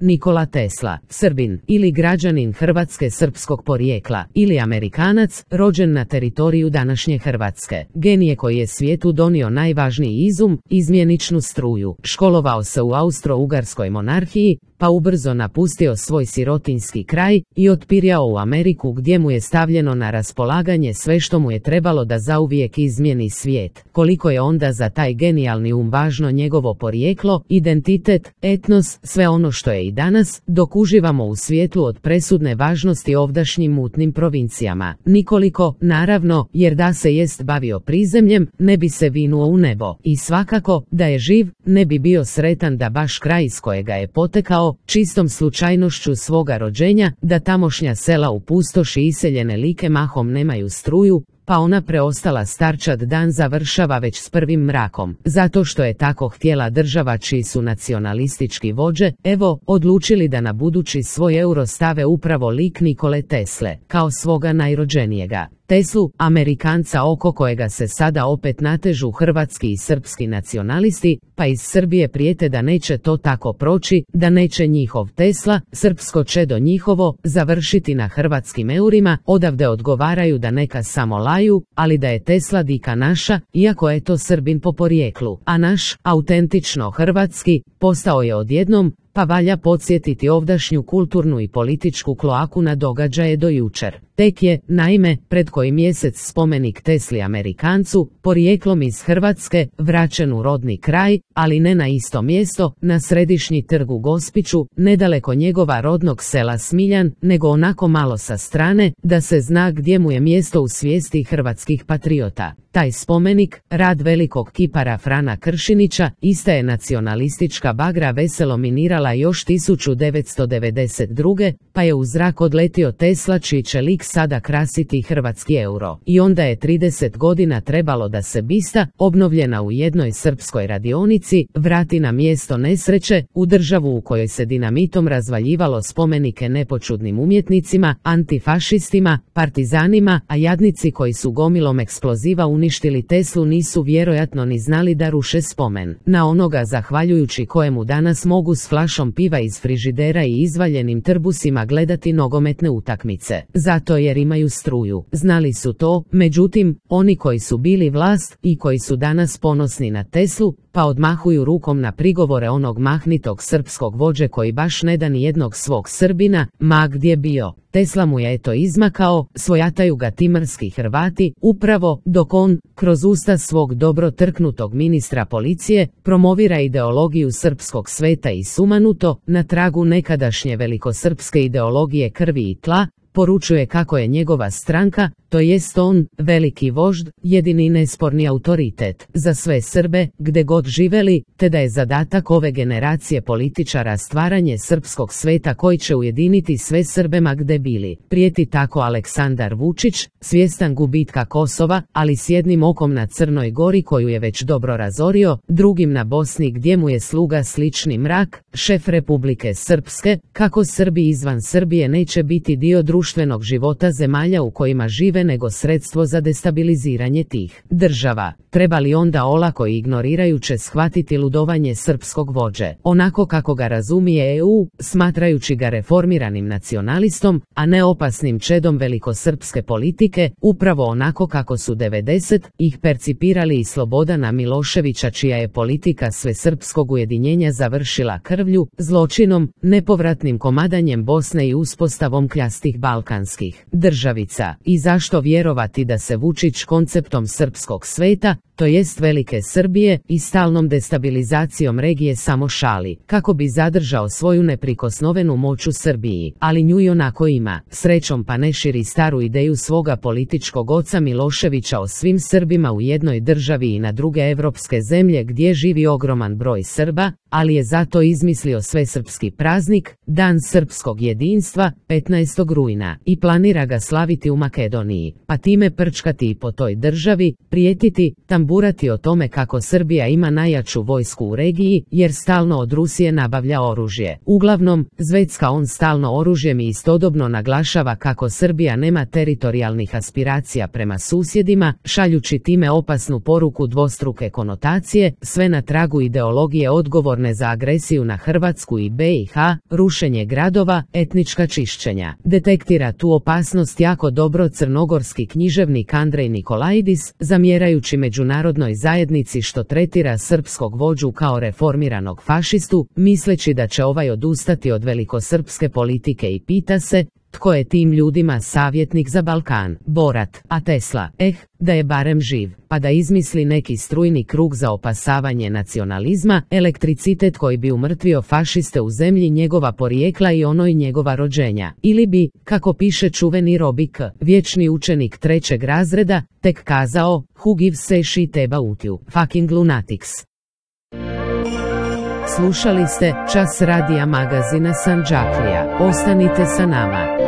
Nikola Tesla, Srbin ili građanin Hrvatske srpskog porijekla ili Amerikanac, rođen na teritoriju današnje Hrvatske. Genije koji je svijetu donio najvažniji izum, izmjeničnu struju. Školovao se u Austro-Ugarskoj monarhiji, pa ubrzo napustio svoj sirotinjski kraj i otpirjao u Ameriku gdje mu je stavljeno na raspolaganje sve što mu je trebalo da zauvijek izmijeni svijet. Koliko je onda za taj genijalni važno njegovo porijeklo, identitet, etnos, sve ono što je i danas, dok uživamo u svijetlu od presudne važnosti ovdašnjim mutnim provincijama. Nikoliko, naravno, jer da se jest bavio prizemljem, ne bi se vinuo u nebo. I svakako, da je živ, ne bi bio sretan da baš kraj iz kojega je potekao, čistom slučajnošću svoga rođenja, da tamošnja sela u pustoši iseljene like mahom nemaju struju, pa ona preostala starčad dan završava već s prvim mrakom. Zato što je tako htjela država čiji su nacionalistički vođe, odlučili da na budući svoj euro stave upravo lik Nikole Tesle, kao svoga najrođenijega. Teslu, Amerikanca oko kojega se sada opet natežu hrvatski i srpski nacionalisti, pa iz Srbije prijete da neće to tako proći, da neće njihov Tesla, srpsko čedo njihovo, završiti na hrvatskim eurima, odavde odgovaraju da neka samo laju, ali da je Tesla dika naša, iako je to Srbin po porijeklu, a naš, autentično hrvatski, postao je odjednom, pa valja podsjetiti ovdašnju kulturnu i političku kloaku na događaje do jučer. Tek je, naime, pred koji mjesec spomenik Tesli Amerikancu, porijeklom iz Hrvatske, vraćen u rodni kraj, ali ne na isto mjesto, na središnji trg u Gospiću, nedaleko njegova rodnog sela Smiljan, nego onako malo sa strane, da se zna gdje mu je mjesto u svijesti hrvatskih patriota. Taj spomenik, rad velikog kipara Frana Kršinića, ista je nacionalistička bagra veselo minirala još 1992. pa je u zrak odletio Tesla čiji će lik sada krasiti hrvatski euro. I onda je 30 godina trebalo da se bista, obnovljena u jednoj srpskoj radionici, vrati na mjesto nesreće, u državu u kojoj se dinamitom razvaljivalo spomenike nepočudnim umjetnicima, antifašistima, partizanima, a jadnici koji su gomilom eksploziva uništili Teslu nisu vjerojatno ni znali da ruše spomen na onoga zahvaljujući kojemu danas mogu s flašom piva iz frižidera i izvaljenim trbusima gledati nogometne utakmice. Zato jer imaju struju. Znali su to, međutim, oni koji su bili vlast i koji su danas ponosni na Teslu, pa odmahuju rukom na prigovore onog mahnitog srpskog vođe koji baš ne da ni jednog svog Srbina, ma gdje bio. Tesla mu je eto izmakao, svojataju ga timarski Hrvati, upravo dok on, kroz usta svog dobro trknutog ministra policije, promovira ideologiju srpskog sveta i sumanuto, na tragu nekadašnje velikosrpske ideologije krvi i tla, poručuje kako je njegova stranka, to jest on, veliki vožd, jedini nesporni autoritet za sve Srbe, gde god živeli, te da je zadatak ove generacije političara stvaranje srpskog sveta koji će ujediniti sve Srbe ma gde bili. Prijeti tako Aleksandar Vučić, svjestan gubitka Kosova, ali s jednim okom na Crnoj Gori koju je već dobro razorio, drugim na Bosni gdje mu je sluga slični mrak, šef Republike Srpske, kako Srbi izvan Srbije neće biti dio društvenog života zemalja u kojima žive nego sredstvo za destabiliziranje tih država. Treba li onda olako i ignorirajuće shvatiti ludovanje srpskog vođe, onako kako ga razumije EU, smatrajući ga reformiranim nacionalistom, a ne opasnim čedom velikosrpske politike, upravo onako kako su 90-ih percipirali i Slobodana Miloševića čija je politika svesrpskog ujedinjenja završila krvlju, zločinom, nepovratnim komadanjem Bosne i uspostavom kljastih balkanskih državica. I zašto vjerovati da se Vučić konceptom srpskog sveta, to jest velike Srbije, i stalnom destabilizacijom regije samo šali, kako bi zadržao svoju neprikosnovenu moć u Srbiji, ali nju i onako ima. Srećom pa ne širi staru ideju svoga političkog oca Miloševića o svim Srbima u jednoj državi i na druge evropske zemlje gdje živi ogroman broj Srba, ali je zato izmislio svesrpski praznik, Dan srpskog jedinstva, 15. rujna, i planira ga slaviti u Makedoniji, pa time prčkati i po toj državi, prijetiti, tamburati o tome kako Srbija ima najjaču vojsku u regiji, jer stalno od Rusije nabavlja oružje. Uglavnom, zvecka on stalno oružjem i istodobno naglašava kako Srbija nema teritorijalnih aspiracija prema susjedima, šaljući time opasnu poruku dvostruke konotacije, sve na tragu ideologije odgovorne odgovorne za agresiju na Hrvatsku i BiH, rušenje gradova, etnička čišćenja. Detektira tu opasnost jako dobro crnogorski književnik Andrej Nikolaidis, zamjerajući međunarodnoj zajednici što tretira srpskog vođu kao reformiranog fašistu, misleći da će ovaj odustati od velikosrpske politike i pita se, tko je tim ljudima savjetnik za Balkan? Borat, a Tesla, da je barem živ, pa da izmisli neki strujni krug za opasavanje nacionalizma, elektricitet koji bi umrtvio fašiste u zemlji njegova porijekla i onoj njegova rođenja. Ili bi, kako piše čuveni Robi K., vječni učenik 3. razreda, tek kazao, who gives a shit about you, fucking lunatics. Slušali ste Čas radija magazina Sandžaklija. Ostanite sa nama.